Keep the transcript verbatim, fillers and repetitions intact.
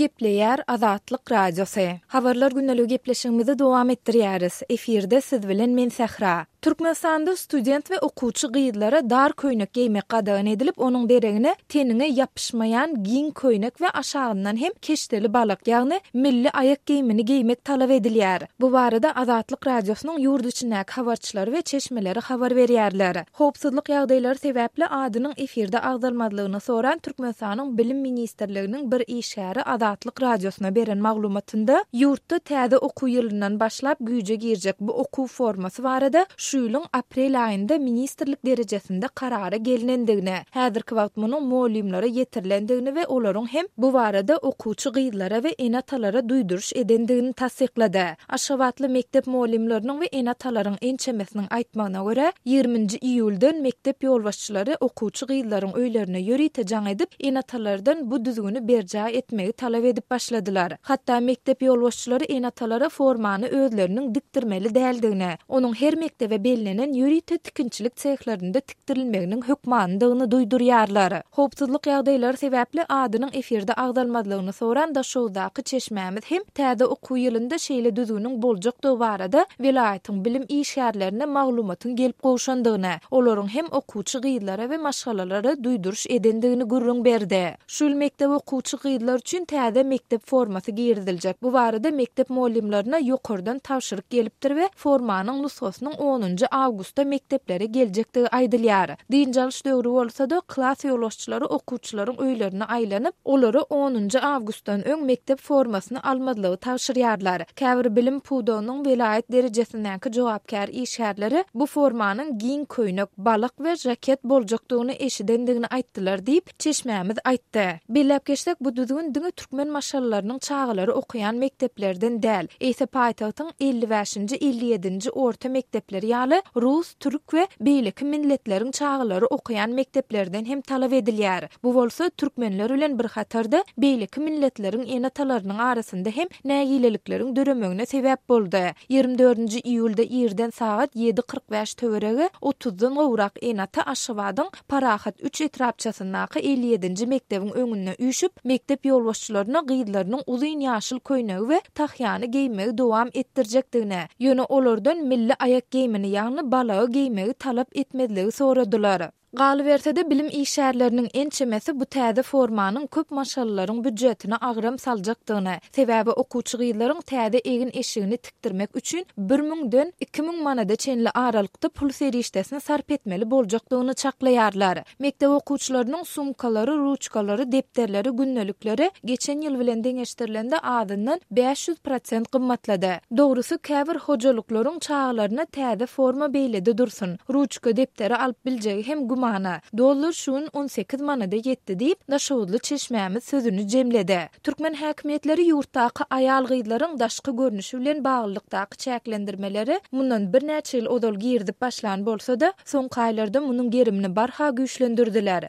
Gepleýär Azatlyk Radiosy. Habarlar gündeligi gepleşigimizi dowam etdirýäris. Efirde siz bilen men Sähra. Türkmenistanda student we okuwçy gyzlara dar köýnek geýmek gadagan edilip, onuň deregine teniňe ýapyşmaýan giň köýnek we aşagyndan hem keşdeli balak, ýagny milli aýak geýimini geýmek talap edilýär. Bu barada Azatlyk Radiosynyň ýurt içindäki habarçylary we çeşmeleri habar berýärler. Howpsuzlyk ýagdaýlary sebäpli adynyň efirde agzalmazlygyny soran Türkmenistanyň Bilim ministrliginiň bir işgäri Azatlyk Radiosyna beren maglumatynda ýurtda täze okuw ýylyndan başlap güýje girjek bu okuw formasy barada şu ýylyň aprel aýynda ministrlik derejesinde karara gelnendigini, häzirki wagt munuň mugallymlara ýetirilendigini we olaryň hem bu barada okuwçy gyzlara we ene-atalara duýduryş edendigini tassyklady. Aşgabatly mekdep mugallymlarynyň we ene-atalaryň ençemesiniň aýtmagyna görä, ýigriminji iýuldan mekdep ýolbaşçylary okuwçy gyzlaryň öýlerine ýörite jaň edip, ene-atalardan bu düzgüni berjaý etmegi talap edip başladylar. Hatda mekdep ýolbaşçylary ene-atalara formany özleriniň dikdirmeli däldigini, onuň her mekdebe bellenen ýörite tikinçilik sehlerinde tikdirilmeginiň hökmanydygyny duýdurýarlar. Howpsuzlyk ýagdaýlary sebäpli adynyň efirde agzalmazlygyny soran Daşoguzdaky çeşmämiz hem täze okuw ýylynda şeýle düzgüniň boljakdygy barada welaýatyň bilim işgärlerine maglumatyň gelip gowşandygyny, olaryň hem okuwçy gyzlara we maşgalalara duýduryş edendigini gürrüň berdi. Şu ýyl mekdep okuwçy gyzlar üçin täze mekdep formasy giriziljek. Bu barada mekdep mugallymlaryna ýokardan tabşyryk gelipdir we formanyň nusgasynyň onunjy awgustda mekdeplere geljekdigi aýdylýar. Dynç alyş döwri bolsa-da, klas ýolbaşçylary okuwçylaryň öýlerine aýlanyp, olara onunjy awgustdan öň mekdep formasyny almazlygy tabşyrýarlar. Käbir bilim pudagynyň welaýat derejesindäki jogapkär işgärleri bu formanyň giň köýnek, balak we jaket boljakdygyny eşidendigini aýtdylar diýip, çeşmämiz aýtdy. Belläp geçsek, bu düzgün diňe türkmen maşgalalarynyň çagalary okaýan mekdeplerden däl, eýse paýtagtyň elli bäşinji, elli ýedinji orta mekdepleri ýaly rus, türk we beýleki milletleriň çagalary okaýan mekdeplerden hem talap edilýär. Bu bolsa türkmenler bilen bir hatarda beýleki milletleriň ene-atalarynyň arasynda hem nägilelikleriň döremegine sebäp boldy. Ýigrimi dördünji iýulda irden sagat ýedi kyrk bäş töweregi otuzdan gowrak ene-ata Aşgabadyň Parahat üç etrapçasyndaky elli ýedinji mekdebiň öňünde üýşüp, mekdep ýolbaşçylaryna gyzlarynyň uzyn ýaşyl köýnegi we tahýany geýmegi dowam etdirjekdigini, ýöne olardan milli aýak geýimini, ýagny balagy geýmegi talap etmezligi soradylar. Galyberse-de, bilim işgärleriniň ençemesi bu täze formanyň köp maşgalalaryň býujetine agram saljakdygyny, sebäbi okuwçy gyzlaryň täze egin-eşigini tikdirmek üçin bir müňden iki müň manada çenli aralykda pul serişdesini sarp etmeli boljakdygyny çaklaýarlar. Mekdep okuwçylarynyň sumkalary, ruçkalary, depderleri, gündelikleri geçen ýyl bilen deňeşdirilende azyndan bäş ýüz prosent gymmatlady. Dogrusy, käbir hojalyklaryň çagalaryna täze forma beýlede dursun, ruçka, depderi alyp biljegi hem gümana. Dollar şu gün on sekiz manada ýetdi diýip, daşoguzly çeşmämiz sözüni jemledi. Türkmen häkimiýetleri ýurtdaky aýal-gyzlaryň daşky görnüşi bilen baglylykdaky çäklendirmeleri mundan birnäçe ýyl ozal girizip başlan bolsa-da, soňky aýlarda munuň gerimini barha güýçlendirdiler.